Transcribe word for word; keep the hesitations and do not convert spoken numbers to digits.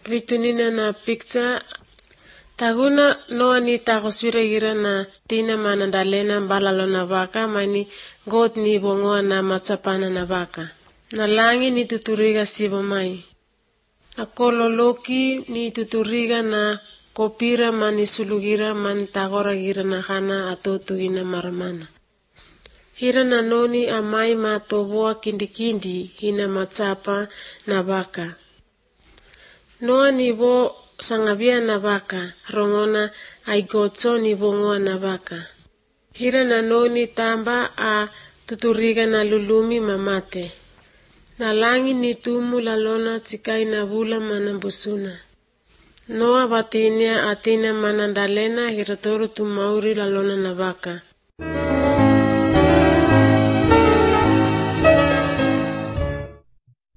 vitunina na picture taguna Noa ni takoswira gira na tina manandalena balalo na baka mani God ni bongoa na matsapana na baka. Na langi ni tuturiga sibo mai. Akolo loki ni tuturiga na kopira mani sulugira man tagora gira na kana atotugina maramana. Hira na noni amai matoboa kindikindi hina matsapa na baka. Noa ni bo sangabia na baka, rongona ay gotso ni bongoa na baka. Hira na noni tamba a tuturiga na lulumi mamate. Na langi ni tumu lalona tsikai na bula manambusuna. Noa batinia atina manandalena hiratoro tumauri lalona na baka.